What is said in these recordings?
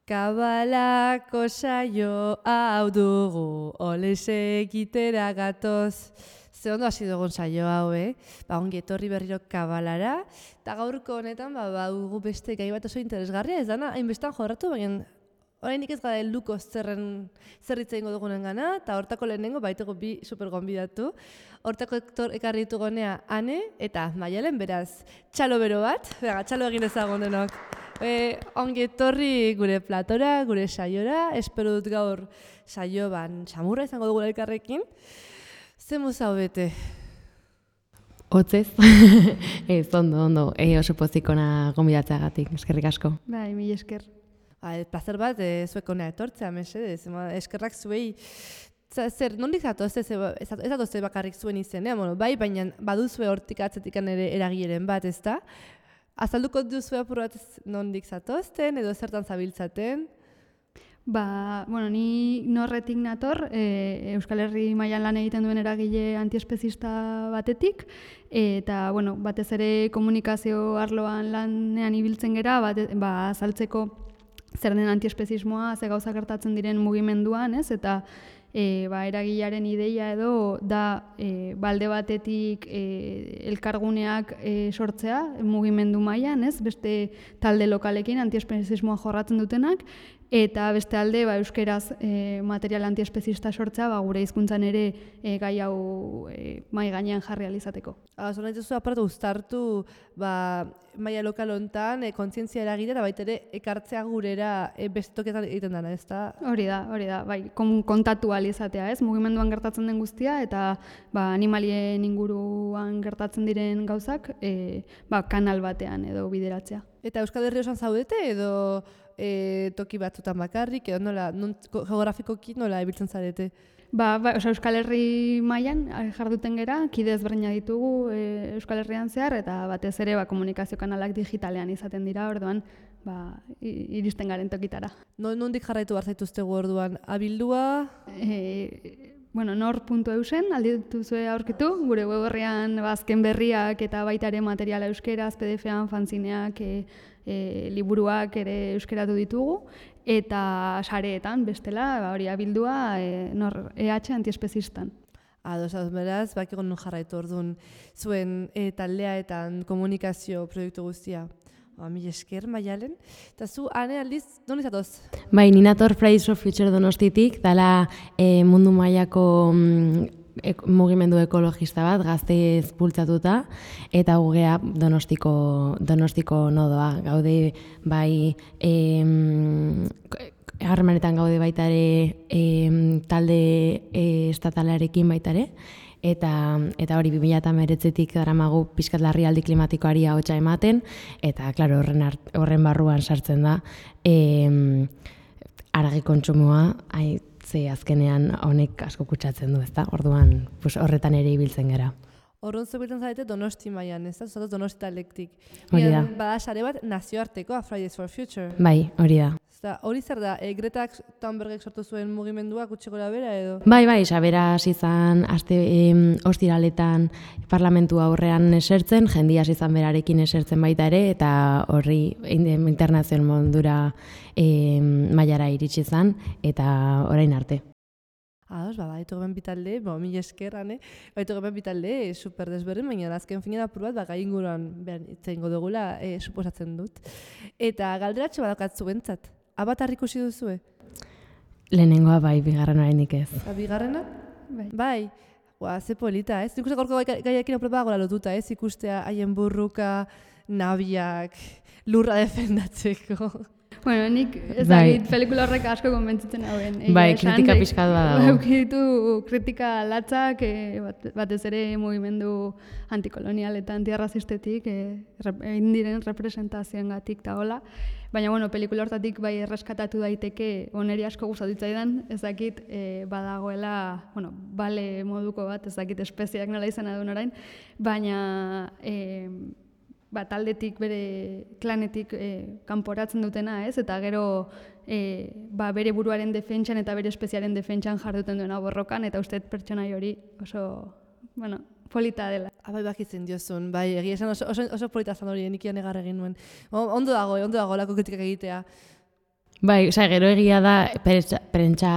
Kabalako saio hau dugu, olese egitera gatoz. Ze ondo hasi dugun saio hau, ongi etorri berriro kabalara. Eta gaurko honetan, dugu beste gai bat oso interesgarria, ez dana, hainbestan jorratu, baina oraindik ez gara helduko zer hitz egingo dugunen gana, eta hortako lehenengo baitugu bi super gonbidatu. Hortako ekarri ditugu honea Ane eta Maialen, beraz, txalo bero bat, txalo egin ezagun denok. Ongi etorri gure platora, gure saiora, espero dut gaur saio samurra izango dugu elkarrekin. Ze muzau bete? Hotzez, ez, ondo, oso pozikona gonbidatzeagatik, eskerrik asko. Bai, mila esker. Plazer bat, zuek honea etortzea, mesedez, eskerrak zuei. Zer, nondik zatoz, ez zatozte bakarrik zuen izenean, bai, baina baduzue hortik atzetikan ere eragileren bat, ez da? Azalduko duzue apur bat nondik zatozten, edo zertan zabiltzaten? Ni norretik nator, Euskal Herri mailan lan egiten duen eragile antiespezista batetik, eta batez ere komunikazio arloan lanean ibiltzen gera, azaltzeko zer den antiespezismoa, ze gauza gertatzen diren mugimenduan, ez? Eta eragilearen ideia edo da balde batetik elkarguneak sortzea mugimendu mailan, ez? Beste talde lokalekin antiespezismoa jorratzen dutenak, eta beste alde euskeraz material antiespezista sortzea gure hizkuntzan ere gai hau mai gainean jarri ahal izateko. Zor nahi duzu apartu uztartu maila lokal honetan kontzientzia eragile eta baita ere ekartzea gurera beste toketan egiten dena, ez da? Hori da, kontatu ahal izatea, ez? Mugimenduan gertatzen den guztia eta animalien inguruan gertatzen diren gauzak kanal batean edo bideratzea. Eta Euskal Herri osan zaudete edo toki batzutan bakarrik, edo geografikoki nola ibiltzen zarete? Euskal Herri mailan jarduten gera, kide ezberdinak ditugu Euskal Herrian zehar, eta batez ere komunikazio kanalak digitalean izaten dira, orduan iristen garen tokitara. Nondik jarraitu behar zaituztegu orduan? Abildua? Nor.eusen aldi dituzue aurkitu, gure web horrean azken berriak eta baita ere materiala euskeraz, PDF-an, fanzineak, liburuak ere euskeratu ditugu, eta sareetan bestela hori abildua EH antiespezistan. Ados, beraz, bakiko non jarraitu orduan zuen taldea eta komunikazio proiektu guztia. Mila esker, Maialen. Eta zu, Ane, aldiz, non izatoz? Bai, ninator Fridays for Future Donostitik, dala mundu mailako mugimendu ekologista bat, gaztez bultzatuta, eta gugea Donostiko nodoa. Gaude, bai, harremanetan gaude baita ere talde estatalarekin baita ere, eta hori 2019tik daramagu pixkat larrialdi klimatikoari ahotsa ematen, eta claro, horren barruan sartzen da haragi kontsumoa, ze azkenean honek asko kutsatzen du, ezta? Orduan, horretan ere ibiltzen gera. Horren zubiltzen zarete Donosti mailan, ez da? Zuzatuz Donosti talektik. Hori da. Bada sare bat nazioartekoa, Fridays for Future. Bai, hori da. Hori zer da, Greta Thunbergek sortu zuen mugimendua gutxi gora bera edo? Bai, beraz izan ostiraletan parlamentu aurrean esertzen, jendia izan berarekin esertzen baita ere, eta horri internazional mondura mailara iritsi zen, eta orain arte. Ados, baitu geben bitalde, mila eskerran, baitu geben bitalde super desberdin, baina azken finean apur bat, gai inguruan itzengo dugula, suposatzen dut. Eta galderatxo badakatzu bentzat, Avatar ikusi duzue? Lehenengoa bai, bigarren oraindik ez. Bigarrena? Bai. Ze polita, ez? Ikusten gorko gaiekin apropa gola lotuta, ez? Ikustea haien burruka, nabiak, lurra defendatzeko. Nik ezagit pelikula horrek asko konbentzitzen hauen. Bai, kritika pixka dago. Eukiditu kritika latzak, batez ere mugimendu antikolonial eta antiarrazistetik, egin diren representazioengatik eta hola. Baina, pelikula hortatik bai erreskatatu daiteke, oneri asko gustatu zitzaidan, ezakit badagoela, bale moduko bat, ezakit espeziak nola izan adun orain, baina taldetik, bere klanetik kanporatzen dutena, ez? Eta gero bere buruaren defentsan eta bere espeziaren defentsan jarduten duena borrokan, eta uste pertsonai hori oso, polita dela. Bai, bakitzen diozun, bai, egia esan oso polita zan hori, nik egar egin nuen. Ondo dago lako kritikak egitea. Bai, osea, gero egia da, prentsa,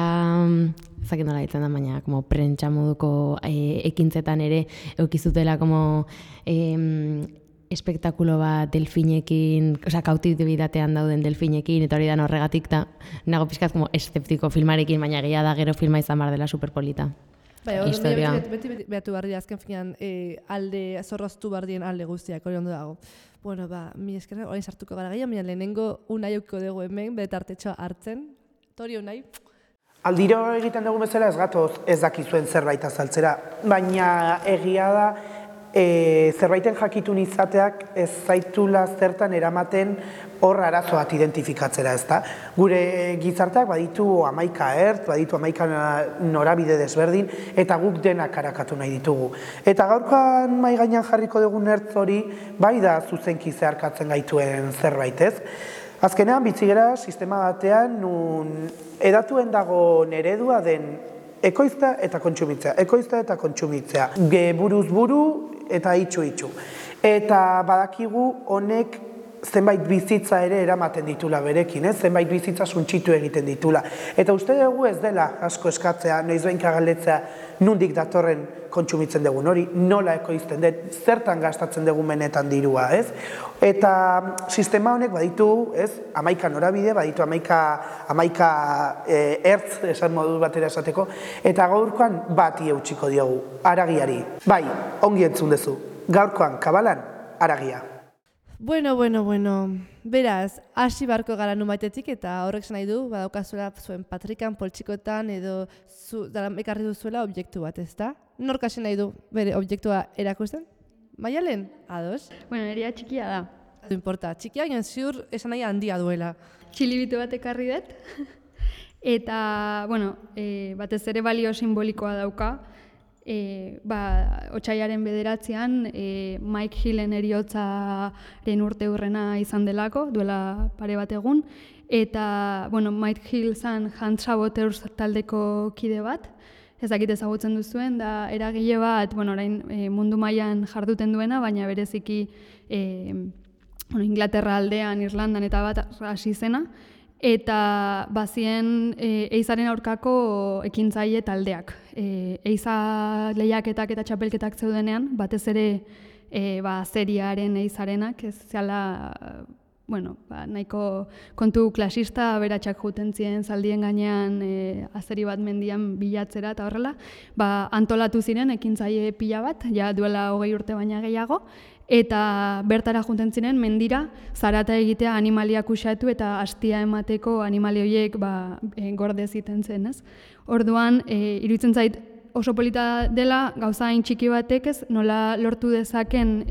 ezakit nola ditzen da, baina, como prentsa moduko ekintzetan ere, eukizutela, como, espektakulo bat delfinekin, osea, kautibitatean dauden delfinekin, eta hori da horregatik, eta nago pixkat, como, eszeptiko filmarekin, baina egia da gero filma izan bar dela superpolita. Bai, beti behatu barri azken finean alde, zorroztu bardien alde guztiak, hori ondo dago. Bueno, mi eskerra, orain sartuko gara gehiago, baina lehenengo unai aukiko dugu hemen, betartetxoa hartzen. Tori unai? Aldiro egiten dugu bezala ez gatoz ez dakizuen zerbait azaltzera, baina egia da zerbaiten jakitun izateak ez zaitula zertan eramaten hor arazo bat identifikatzera, ezta? Gure gizarteak baditu 11 ertz, baditu 11 norabide desberdin, eta guk denak arakatu nahi ditugu. Eta gaurkoan mahai gainean jarriko dugun ertz hori, bai da zuzenki zeharkatzen gaituen zerbait, ez? Azkenean, bitzigera sistema batean, nun edatuen dago eredua den ekoizta eta kontsumitzea, ekoizta eta kontsumitzea. Buruz buru eta itxu. Eta badakigu honek zenbait bizitza ere eramaten ditula berekin, zenbait bizitza suntsitu egiten ditula. Eta uste dugu ez dela asko eskatzea, noizbehinka galdetzea nondik datorren kontsumitzen dugun hori, nola ekoizten den, zertan gastatzen dugun benetan dirua, ez? Eta sistema honek baditu, ez, 11 norabide, baditu 11 ertz, esan modu batera esateko, eta gaurkoan bati eutxiko diogu, haragiari. Bai, ongi entzun duzu, gaurkoan kabalan, haragia. Bueno. Beraz, hasi barko gara numaitetik eta horrek esan nahi du, badaukazuela zuen patrikan, poltsikotan edo ekarri duzuela objektu bat, ezta? Nork hasi nahi du bere objektua erakusten? Maialen? Ados? Bueno, eria txikia da. Ez importa, txikia, baina ziur esan nahi handia duela. Txilibitu bat ekarri dut. Eta, bueno, batez ere balio simbolikoa dauka. Otsaiaren 9an Mike Hillen heriotzaren urteurrena izan delako, duela pare bat egun. Eta, bueno, Mike Hill zan Hand Saboteurs taldeko kide bat, ez dakit ezagutzen duzuen, da eragile bat, bueno, orain mundu mailan jarduten duena, baina bereziki Inglaterra aldean, Irlandan eta bat hasi zena. Eta bazien eizaren aurkako ekintzaile taldeak. Eiza lehiaketak eta txapelketak zeudenean, batez ere seriaren eizarenak, ez zela, nahiko kontu klasista, beratxak juten ziren zaldien gainean azeri bat mendian bilatzera eta horrela, antolatu ziren ekintzaile pila bat, ja duela 20 urte baina gehiago, eta bertara junten ziren mendira zarata egitea animaliak usatu eta hastia emateko animali horiek gorde ziten zen, ez? Orduan, iruditzen zait oso polita dela gauza hain txiki batek ez nola lortu dezaken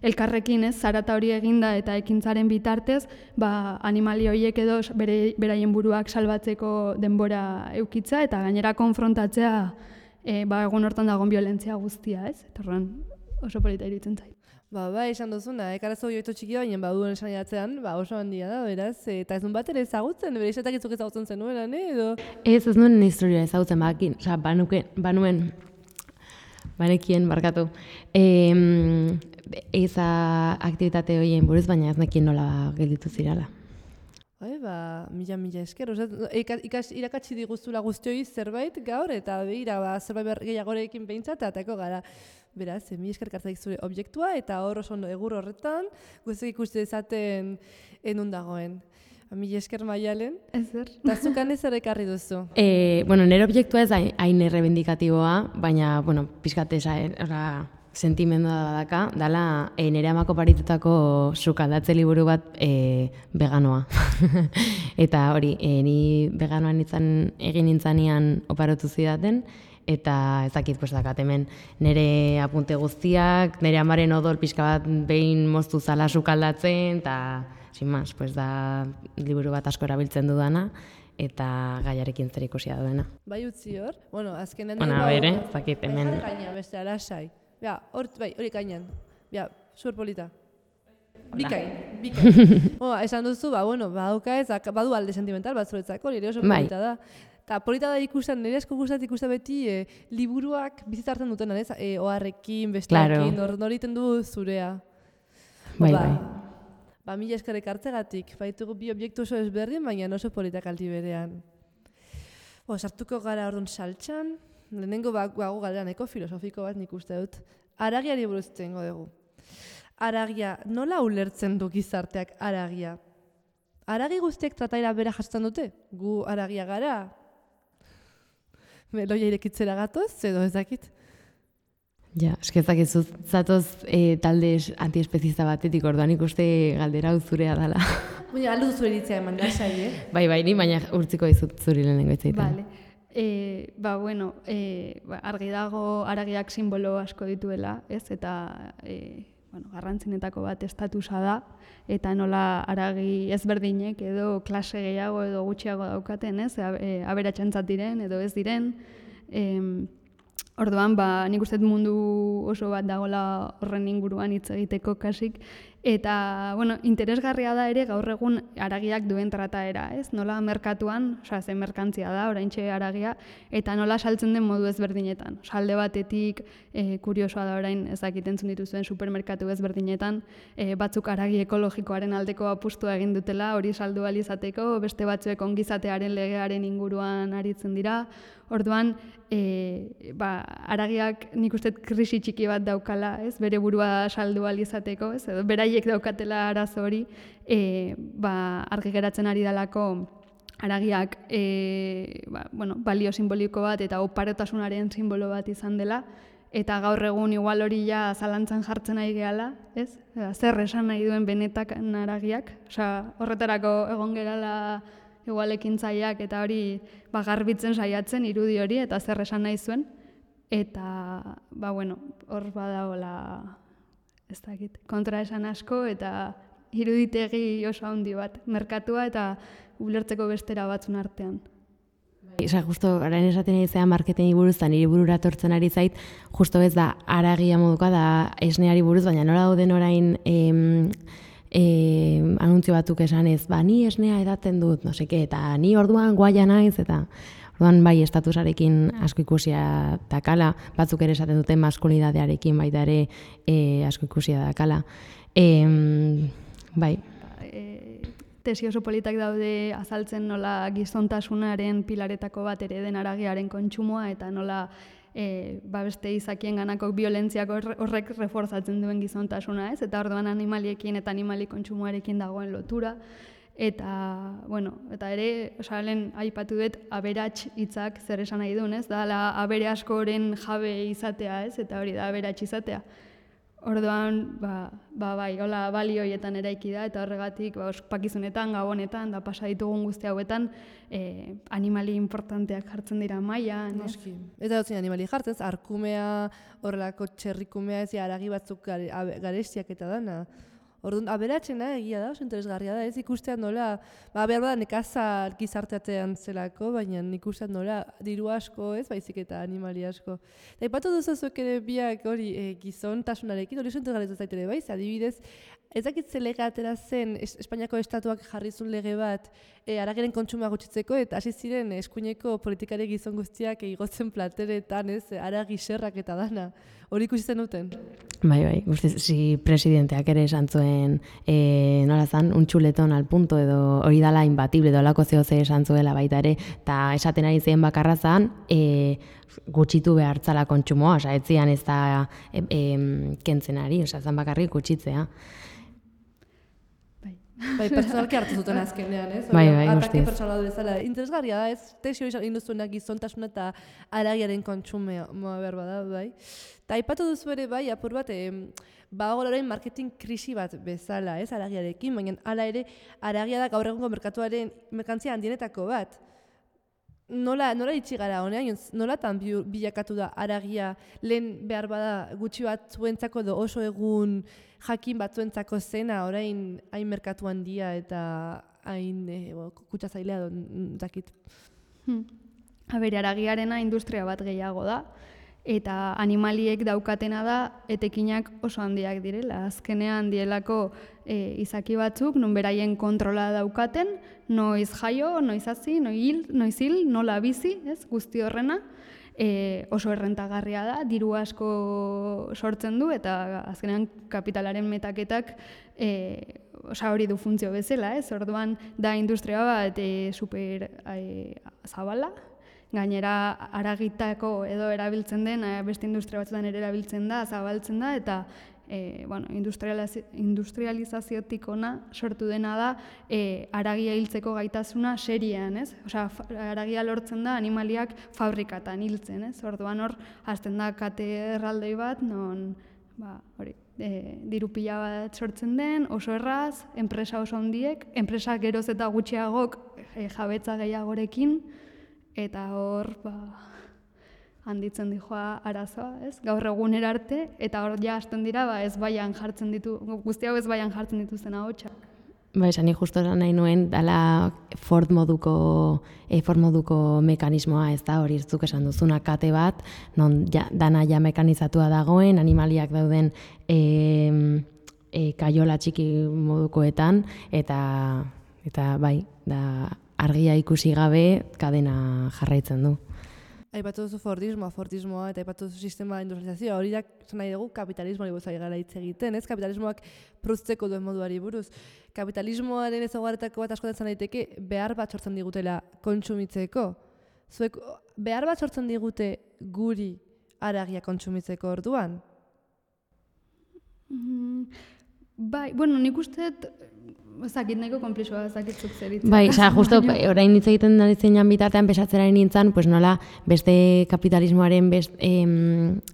elkarrekin, ez, zarata hori eginda eta ekintzaren bitartez, animali horiek edo beraien buruak salbatzeko denbora eukitza eta gainera konfrontatzea egun hortan dagoen violentzia guztia, ez? Torran oso polita iruditzen zait. Esan duzuna, ekarazo joitu txiki baina baduen esan idatzean, oso handia da, beraz, eta ez duen bat ere ezagutzen, bere izatak itzuk ezagutzen zenuelan, edo? Ez nuen historia ezagutzen bakin, oza, banekien barkatu. Eza aktivitate horien buruz, baina ez nekien nola gelditu zirala. Mila esker, irakatsi diguzula guztioi zerbait gaur, eta behira, zerbait gehiagorekin behintzat, atako gara. Beraz, mila esker kartzaik zure objektua, eta hor oso egur horretan, guztiak ikuste dezaten enun dagoen. Mila esker Maialen. Ezer. Eta zukan ez ekarri duzu? Nire objektua ez hain errebendikatiboa, baina, pixkate sentimendua badaka, dala nire amako paritutako sukaldatze liburu bat veganoa. Eta hori, ni veganoan egin nintzanean oparotu zidaten, eta ezakit dakat hemen nire apunte guztiak, nire amaren odol pixka bat behin moztu zala sukaldatzen, eta sin más, da liburu bat asko erabiltzen dudana, eta gaiarekin zer ikusia duena. Bai utzi hor? Azkenean... Bere, ezakit hemen... Kaina, beste alasai. Hori kainan. Superpolita. Bikain. Esan duzu, badu alde sentimental bat zuretzako, nire oso polita da. Eta polita da ikusten, nire asko gustatzen ikusten beti liburuak bizitzartzen dutenan, ez? Oharrekin, besteakin, noriten du zurea. Bai. Mila eskerrik hartzegatik, baitugu bi objektu oso ezberdin, baina oso politak aldi berean. Sartuko gara orduan saltxan, lehenengo bago galdera nahiko filosofiko bat nik uste dut. Haragiari buruz hitz egingo dugu. Haragia, nola ulertzen du gizarteak haragia? Haragi guztiek trataera bera jasotzen dute? Gu haragia gara? Meloia irekitzera gatoz, edo ez dakit? Ja, eskezak ez zatoz talde antiespezista batetik, orduan ikuste galdera hau zurea dela. Baina, aldu zure iritzia eman lasai, Bai, ni baina urtziko dizut zuri lehenengo itzaiten. Vale. Argi dago haragiak simbolo asko dituela, ez? Eta garrantzinetako bat estatusa da, eta nola haragi ezberdinek edo klase gehiago edo gutxiago daukaten, ez? Aberatsentzat diren edo ez diren. Orduan, nik uste mundu oso bat dagoela horren inguruan hitz egiteko kasik. Eta, interesgarria da ere gaur egun haragiak duen trataera, ez? Nola merkatuan, zen merkantzia da, oraintxe haragia, eta nola saltzen den modu ezberdinetan. Alde batetik, kuriosoa da orain, entzun dituzuen supermerkatu ezberdinetan, batzuk haragi ekologikoaren aldeko apustua egin dutela, hori saldu ahal izateko, beste batzuek ongizatearen legearen inguruan aritzen dira. Orduan, haragiak nik uste krisi txiki bat daukala, ez? Bere burua saldu ahal izateko, ez? Edo beraiek daukatela arazo hori, argi geratzen ari dalako haragiak balio simboliko bat eta oparotasunaren simbolo bat izan dela, eta gaur egun igual hori ja zalantzan jartzen nahi gehala, ez? Zer esan nahi duen benetan haragiak, horretarako egon gerala igual ekintzaileak eta hori garbitzen saiatzen irudi hori eta zer esan nahi zuen, eta hor badagoela ez dakit, kontra esan asko eta iruditegi oso handi bat, merkatua eta ulertzeko bestera batzun artean. Justo, orain esaten ari zean marketingi buruz, eta niri burura tortzen ari zait, justo ez da haragia moduka da esneari buruz, baina nola dauden orain anuntzio batzuk esanez, ni esnea edaten dut, no seke, eta ni orduan guaia naiz, eta orduan bai estatusarekin asko ikusia dakala, batzuk ere esaten duten maskulinidadearekin baita ere asko ikusia dakala. Bai. Tesi oso politak daude azaltzen nola gizontasunaren pilaretako bat ere den haragiaren kontsumoa eta nola beste izakien ganako violentziak horrek reforzatzen duen gizontasuna, ez? Eta orduan animaliekin eta animali kontsumoarekin dagoen lotura. Eta, eta ere, lehen aipatu dut aberats hitzak zer esan nahi duen, ez? Da, abere askoren jabe izatea, ez? Eta hori da aberats izatea. Orduan, bai, hola balio horietan eraiki da, eta horregatik, ospakizunetan, gabonetan, da pasa ditugun guzti hauetan, animali importanteak jartzen dira mailan. Noski. Eta dutzen animali jartzen, arkumea, horrelako txerrikumea, ez haragi batzuk garestiak eta dana. Orduan, aberatxena egia da, oso interesgarria da, ez ikustean nola, behar bada nekazal gizarteatean zelako, baina ikustean nola diru asko, ez baizik eta animali asko. Eta ipatu duzuzuek ere biak hori gizontasunarekin, hori oso interesgarria zaitere baiz, adibidez, ez dakit ze lege atera zen Espainiako estatuak jarrizun lege bat haragiren kontsumoa gutxitzeko, eta hasi ziren eskuineko politikari gizon guztiak igotzen plateretan, ez, haragi serrak eta dana. Hori ikusten duten? Bai, guzti presidenteak ere esan zuen nola zan, un chuletón al punto edo hori dala imbatible edo alako zehoze esan zuela baita ere, eta esaten ari zen bakarra zan, gutxitu behartzala kontsumoa, etzian ez da kentzen ari, zan bakarrik gutxitzea. Bai, pertsonalki hartu zuten azkenean, ez? Bai, atake pertsonal bezala. Interesgarria da, ez? Tesi hori induzuenak gizontasuna eta haragiaren kontsumoa behar bada, bai. Eta aipatu duzu ere, bai, apur bat, badago orain marketing krisi bat bezala, ez? Haragiarekin, baina hala ere, haragia da gaur egungo merkatuaren merkantzia handienetako bat. Nola itxi gara honean, nolatan bilakatu da haragia lehen behar bada gutxi bat zuentzako edo oso egun jakin batzuentzako zena orain hain merkatu handia eta hain kutsazailea dakit. Haragiarena industria bat gehiago da, eta animaliek daukatena da etekinak oso handiak direla. Azkenean dielako izaki batzuk, non beraien kontrola daukaten, noiz jaio, noiz hazi, noiz hil, nola bizi, ez, guzti horrena, oso errentagarria da, diru asko sortzen du, eta azkenean kapitalaren metaketak hori du funtzio bezala, ez? Orduan da industria bat super zabala, gainera haragitako edo erabiltzen den, beste industria batzuetan ere erabiltzen da, zabaltzen da, eta industrializaziotik ona sortu dena da haragia hiltzeko gaitasuna seriean, ez? Osea, haragia lortzen da animaliak fabrikatan hiltzen, ez? Orduan hor, hasten da kate erraldoi bat, non, diru pila bat sortzen den, oso erraz, enpresa oso handiek, enpresa geroz eta gutxiagok jabetza gehiagorekin, eta hor, handitzen dijoa arazoa, ez? Gaur egunera arte, eta hor ja hasten dira, ez baian jartzen guzti hau ez baian jartzen dituzten ahotsak. Esan justo nahi nuen, dala Ford moduko mekanismoa, ez da, hori zuk esan duzuna kate bat, non dana ja mekanizatua dagoen, animaliak dauden kaiola txiki modukoetan, eta bai, da argia ikusi gabe kadena jarraitzen du. Aipatu duzu Fordismoa eta aipatu duzu sistema industrializazioa, hori da, nahi dugu kapitalismoari buruz ari gara hitz egiten, ez? Kapitalismoak produzteko duen moduari buruz. Kapitalismoaren ezaugarrietako bat askotan daiteke behar bat sortzen digutela kontsumitzeko. Zuek behar bat sortzen digute guri haragia kontsumitzeko orduan? Bai, nik uste ezakit nahiko konplexua, ezakitzuk zeritzen. Bai, justo orain hitz egiten ari zeinan bitartean pesatzera nintzen, pues nola beste kapitalismoaren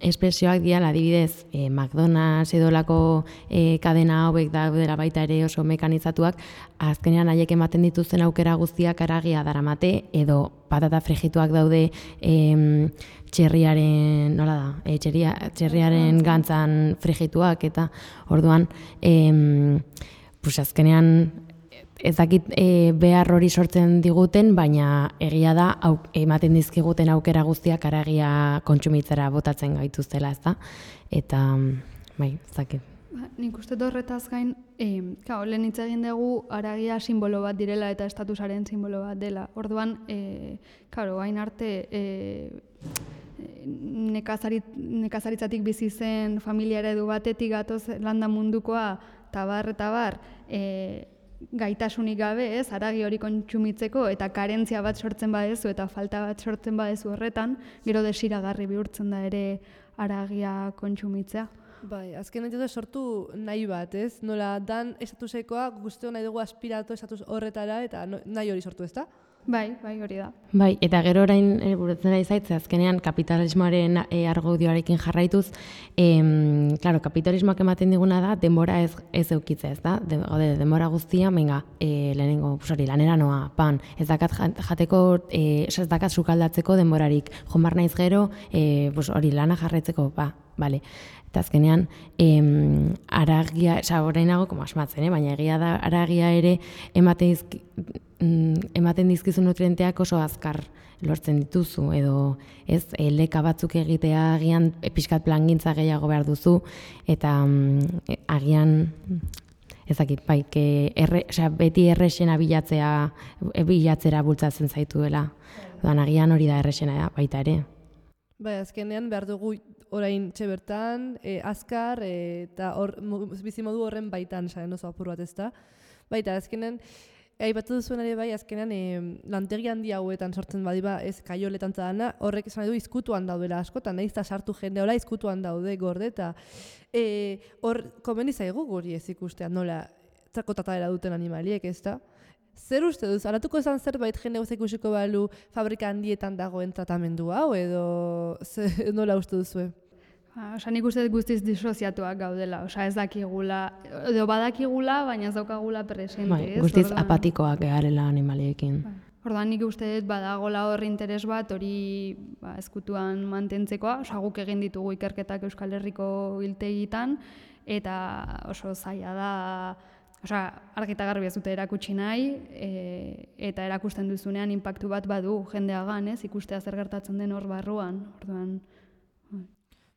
espresioak diala, adibidez, McDonald's edolako kadena hauek daudela baita ere oso mekanizatuak, azkenean haiek ematen dituzten aukera guztiak haragia daramate, edo patata frigituak daude txerriaren, nola da, txerriaren gantzan frigituak, eta orduan, pues azkenean ez dakit behar hori sortzen diguten, baina egia da ematen dizkiguten aukera guztiak haragia kontsumitzera botatzen gaituztela, ez da? Eta, bai, ez dakit. Nik uste horretaz gain, lehen hitz egin dugu haragia simbolo bat direla eta estatusaren simbolo bat dela. Orduan, hain arte nekazaritzatik bizi zen familia eredu batetik gatoz landa mundukoa, tabar, gaitasunik gabe, ez, haragi hori kontsumitzeko eta karentzia bat sortzen badezu eta falta bat sortzen badezu horretan, gero desiragarri bihurtzen da ere haragia kontsumitzea. Bai, azken nahi sortu nahi bat, ez? Nola dan estatusekoa guztio nahi dugu aspiratu estatus horretara eta nahi hori sortu, ez da? Bai, hori da. Bai, eta gero orain burutzen ari zaitze, azkenean kapitalismoaren argudioarekin jarraituz, kapitalismoak ematen diguna da, denbora ez eukitzea, ez da? Denbora guztia, lehenengo, lanera noa, pan, ez dakat jateko, ez dakat sukaldatzeko denborarik, jomar naiz gero, hori lana jarraitzeko, bale. Eta azkenean, haragia, orainago, asmatzen, baina egia da, haragia ere ematen dizkizu nutrienteak oso azkar lortzen dituzu, edo ez, leka batzuk egitea agian pixkat plangintza gehiago behar duzu, eta agian, ezakit, bai, beti errexena bilatzera bultzatzen zaituela. Agian hori da errexena baita ere. Bai, azkenean behar dugu orain bertan, azkar, eta bizimodu horren baitan, oso apur bat ez da. Baita, azkenean, aipatu duzuen ere bai, azkenean lantegi handi hauetan sortzen badiba ez kaioletan zadana, horrek esan du izkutuan daudela askotan, nahiz eta sartu jende hola izkutuan daude gorde, eta hor komeni zaigu guri ez ikustea, nola txakotatara duten animaliek, ez da? Zer uste duz, alatuko esan zerbait jende guzti ikusiko balu fabrika handietan dagoen tratamendu hau, edo nola uste duzue? Nik uste guztiz disoziatuak gaudela, ez dakigula, edo badakigula, baina ez daukagula presente. Guztiz apatikoak garela animaliekin. Orduan nik uste badagola hor interes bat hori ezkutuan mantentzekoa, guk egin ditugu ikerketak Euskal Herriko hiltegitan, eta oso zaila da, argita garbi ez dute erakutsi nahi, eta erakusten duzunean inpaktu bat badu jendeagan, ikustea zer gertatzen den hor barruan.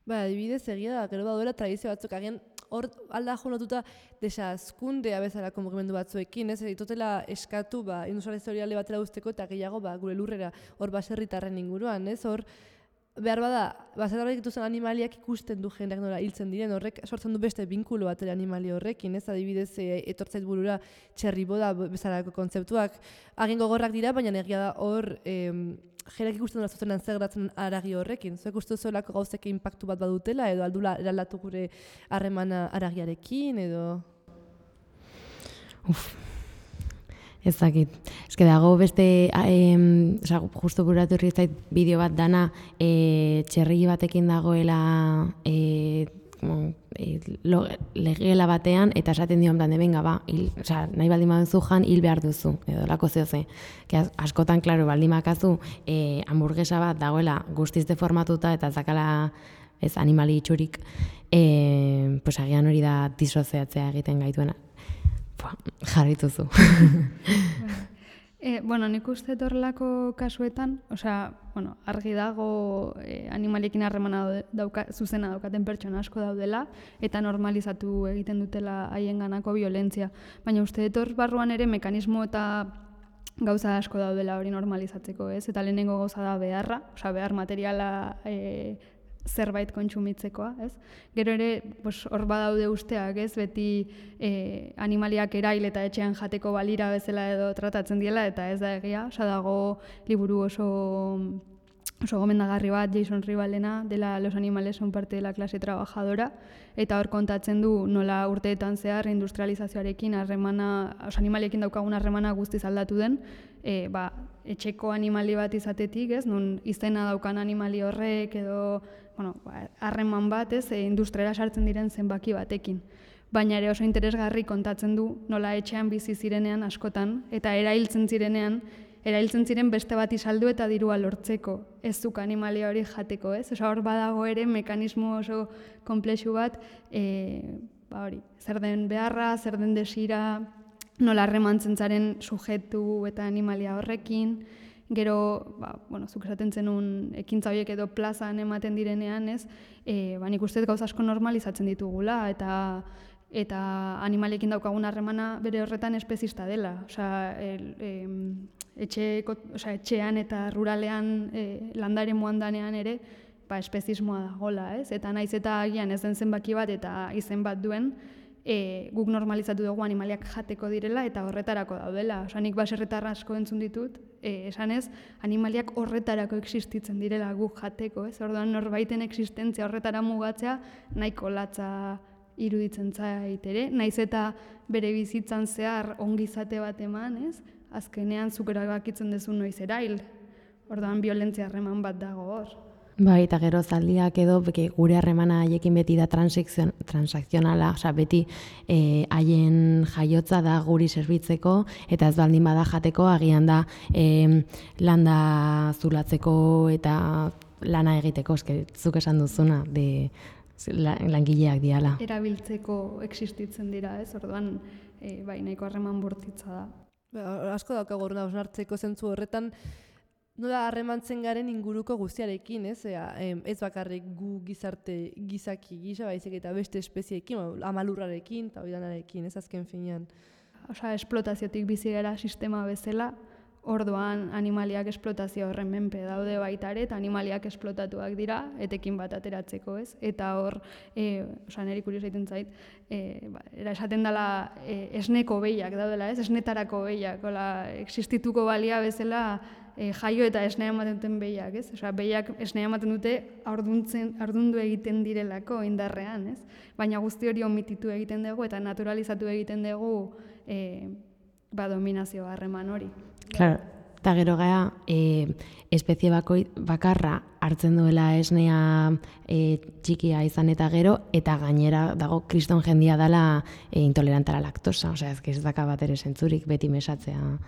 Adibidez, egia da, gero daudela tradizio batzuk, agian hor alda jonotuta desazkundea bezalako mugimendu batzuekin, ez ditotela eskatu industrializazioari batera uzteko eta gehiago gure lurrera hor baserritarren inguruan, ez hor behar bada, baserriak dituzten animaliak ikusten du jendeak nola hiltzen diren, horrek sortzen du beste binkulo bat ere animali horrekin, ez adibidez etortzait burura txerriboda bezalako kontzeptuak, agin gogorrak dira, baina egia da hor jendeak ikusten dut zuzenan zer gertatzen haragi horrekin. Zuek uste zuelako gauzek inpaktu bat badutela, edo aldula eraldatu gure harremana haragiarekin, edo... Ez dakit. Eske dago beste, justu buratu zait bideo bat dana, txerri batekin dagoela legela batean, eta esaten dio plan de venga, ba, nahi baldin baduzu jan, hil behar duzu, edo lako zehoze. Askotan, klaro, baldin bakazu, hamburguesa bat dagoela guztiz deformatuta, eta zakala ez animali itxurik, pues agian hori da disoziatzea egiten gaituena. Jarrituzu. Bueno, nik uste horrelako kasuetan, argi dago animaliekin harremana zuzena daukaten pertsona asko daudela, eta normalizatu egiten dutela haienganako violentzia. Baina uste hor barruan ere mekanismo eta gauza asko daudela hori normalizatzeko, ez? Eta lehenengo gauza da beharra, behar materiala zerbait kontsumitzekoa, ez? Gero ere, hor badaude usteak, ez? Beti animaliak erail eta etxean jateko balira bezala edo tratatzen diela, eta ez da egia, dago liburu oso gomendagarri bat, Jason Rivalena, dela Los animales son parte de la clase trabajadora, eta hor kontatzen du nola urteetan zehar industrializazioarekin animaliekin daukagun harremana guztiz aldatu den, etxeko animali bat izatetik, ez? Nun izena daukan animali horrek edo harreman bat, ez? Industriara sartzen diren zenbaki batekin. Baina ere oso interesgarri kontatzen du nola etxean bizi zirenean askotan, eta erailtzen ziren beste bat izaldu eta dirua lortzeko, ez zuk animalia hori jateko, ez? Hor badago ere mekanismo oso komplexu bat, zer den beharra, zer den desira, nola harremantzen zaren sujetu eta animalia horrekin, gero, zuk esaten zenun ekintza horiek edo plazan ematen direnean, ez? Nik uste gauza asko normalizatzen ditugula, eta animaliekin daukagun harremana bere horretan espezista dela. Etxean eta ruralean landare muandanean ere espezismoa dagoela, ez? Eta naiz eta agian ez den zenbaki bat eta izen bat duen, guk normalizatu dugu animaliak jateko direla eta horretarako daudela. Nik baserritar asko entzun ditut, esanez, animaliak horretarako existitzen direla guk jateko, ez? Orduan norbaiten existentzia horretara mugatzea nahiko latza iruditzen zait ere, naiz eta bere bizitzan zehar ongizate bat eman, ez? Azkenean zuk erabakitzen duzu noiz erail. Orduan violentzia harreman bat dago hor. Bai, eta gero zaldiak edo gure harremana haiekin beti da transakzionala, beti haien jaiotza da guri zerbitzeko, eta ez baldin bada jateko, agian da landa zulatzeko eta lana egiteko, zuk esan duzuna, langileak diala. Erabiltzeko existitzen dira, ez? Orduan, nahiko harreman bortitza da. Asko daukagu hausnartzeko zentzu horretan, nola harremantzen garen inguruko guztiarekin, ez? Ez bakarrik gu gizaki gisa, baizik eta beste espezieekin, amalurrarekin eta oidanarekin, ez azken finean. Esplotaziotik bizi gara sistema bezala, orduan animaliak esplotazio horren menpe daude baita ere, eta animaliak esplotatuak dira, etekin bat ateratzeko, ez? Eta hor, niri kurioso egiten zait, esaten dela esneko behiak daudela, ez? Esnetarako behiak, existituko balia bezala jaio eta esnea ematen duten behiak, ez? Behiak esnea ematen dute ardundu egiten direlako indarrean, ez? Baina guzti hori omititu egiten dugu eta naturalizatu egiten dugu dominazio harreman hori. Claro, eta gero gara, espezie bakarra hartzen duela esnea txikia izan eta gero, eta gainera dago kriston jendia dela intolerantara laktosa, ez daka bat ere zentzurik beti mesatzea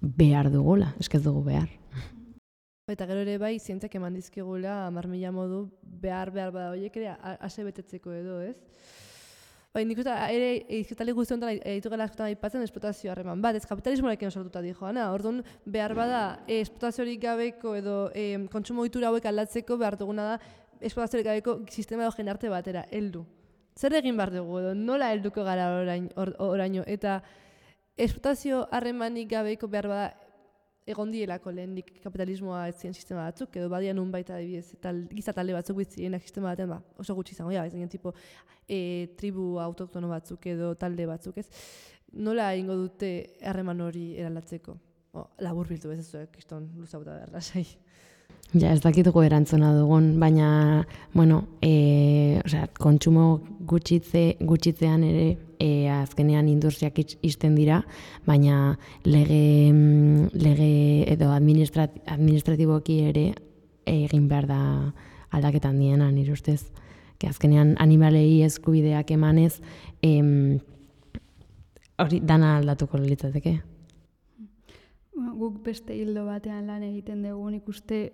behar dugula, ez dugu behar. Eta gero ere bai, zientziak eman dizkigula, 10.000 modu behar bada horiek ere ase betetzeko edo, ez? Nik uste, ere, izketalik guzti honetan ditugela askotan aipatzen esplotazio harreman bat, ez kapitalismoarekin sortuta dijoana. Orduan, behar bada, esplotaziorik gabeko edo kontsumo ohitura hauek aldatzeko behar duguna da esplotaziorik gabeko sistema edo jendarte batera, heldu. Zer egin behar dugu edo, nola helduko gara oraino? Eta esplotazio harremanik gabeko behar bada egon dielako lehendik kapitalismoa ez ziren sistema batzuk, edo badian nun baita adibidez, giza talde batzuk bizienak sistema baten, oso gutxi izango, ez ginen tipo tribu autoktono batzuk edo talde batzuk, ez? Nola egingo dute harreman hori eralatzeko? Labur biltu ez zuek, kiston luzauta behar lasai. Ja, ez dakituko erantzuna dugun, baina, kontsumo gutxitzean ere azkenean industriak ixten dira, baina lege edo administratiboki ere egin behar da aldaketan diena, nire ustez. Azkenean animalei eskubideak emanez, hori dana aldatuko litzateke. Guk beste hildo batean lan egiten dugu, nik uste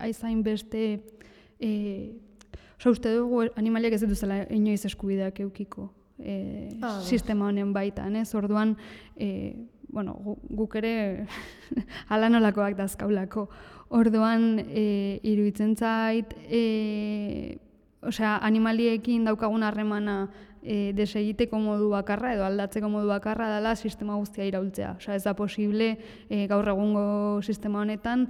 aizain beste, uste dugu animaliak ez dituzela inoiz eskubideak eukiko sistema honen baitan, ez? Orduan, guk ere hala nolakoak dazkaulako. Orduan, iruditzen zait, animaliekin daukagun harremana desegiteko modu bakarra edo aldatzeko modu bakarra dela sistema guztia iraultzea. Ez da posible gaur egungo sistema honetan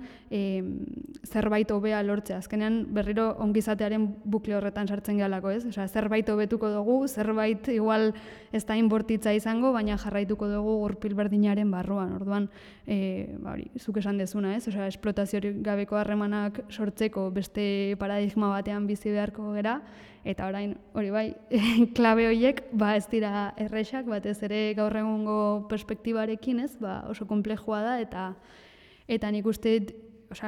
zerbait hobea lortzea. Azkenean berriro ongizatearen bukle horretan sartzen gehalako, ez? Zerbait hobetuko dugu, zerbait igual ez da inbortitza izango, baina jarraituko dugu gurpil berdinaren barruan. Orduan, zuk esan dezuna, ez? Esplotaziorik gabeko harremanak sortzeko beste paradigma batean bizi beharko gera, eta orain, hori bai, klabe horiek ez dira errexak, batez ere gaur egungo perspektibarekin, ez? Oso konplexua da, eta nik uste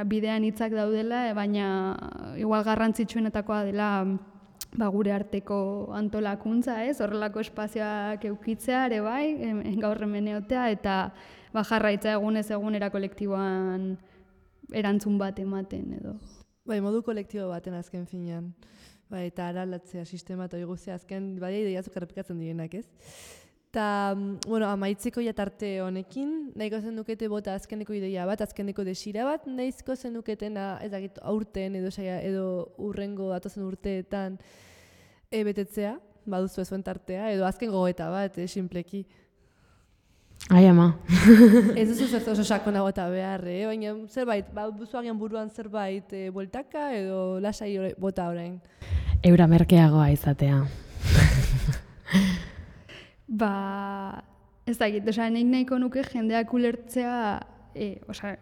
bidean hitzak daudela, baina igual garrantzitsuenetakoa dela gure arteko antolakuntza, ez? Horrelako espazioak eukitzea ere bai, gaur hemen egotea, eta jarraitza egunez egunera kolektiboan erantzun bat ematen edo. Modu kolektibo baten azken finean. Eta aralatzea sistema eta guztia azken ideiazuk errepikatzen direnak, ez? Eta, amaitzeko tarte honekin, nahiko zenukete bota azkeneko ideia bat, azkeneko desira bat, nahizko zenuketena, aurten edo urrengo datozen urteetan betetzea, baduzu ezuen tartea, edo azken gogoeta bat, sinpleki. Ai, ama. Ez duzu zertu oso sakonago eta behar, baina zerbait, duzu agian buruan zerbait bueltaka edo lasai bota orain. Eura merkeagoa izatea. Ez dakit, nik nahiko nuke jendeak ulertzea,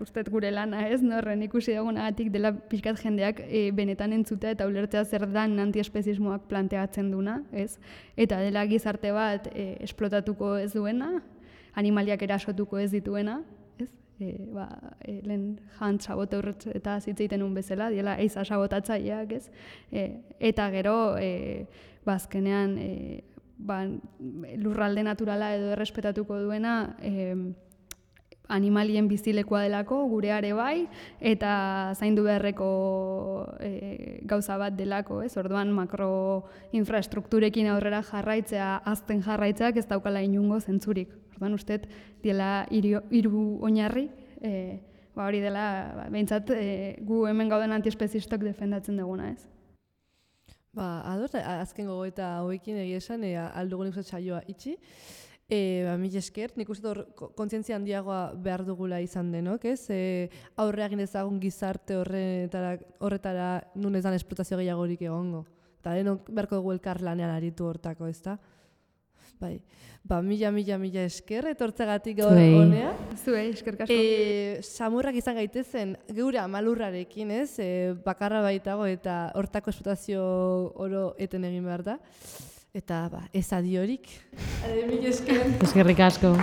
uste gure lana ez, norren ikusi dugunagatik dela pixkat jendeak benetan entzutea eta ulertzea zer dan antiespezismoak planteatzen duna, ez? Eta dela gizarte bat esplotatuko ez duena, animaliak erasotuko ez dituena, ez? Lehen jant sabote eta zitzeiten un bezala, diela eiza sabotatzaileak, ez? Eta gero, azkenean, lurralde naturala edo errespetatuko duena, animalien bizilekoa delako, gureare bai, eta zaindu beharreko gauza bat delako, ez? Orduan makroinfrastrukturekin aurrera jarraitzea, azten jarraitzeak ez daukala inungo zentzurik. Orduan usteet, diela hiru oinarri, hori dela, behintzat, gu hemen gauden antiespezistok defendatzen duguna, ez? Ados, azken gogoeta hauekin egia esan, aldugu nik saioa itxi. Mila esker, nik uste kontzientzia handiagoa behar dugula izan denok, ez? Aurre egin ezagun gizarte horretara nun ez dan esplotazio gehiagorik egongo. Eta denok beharko dugu elkar lanean aritu hortako, ez da? Mila esker, etortzegatik gaur honea. Zuei, eskerrik asko. Samurrak izan gaitezen geure amalurrarekin, ez? Bakarra baitago eta hortako esplotazio oro eten egin behar da. Eta ez adiorik. Mila esker. Eskerrik asko.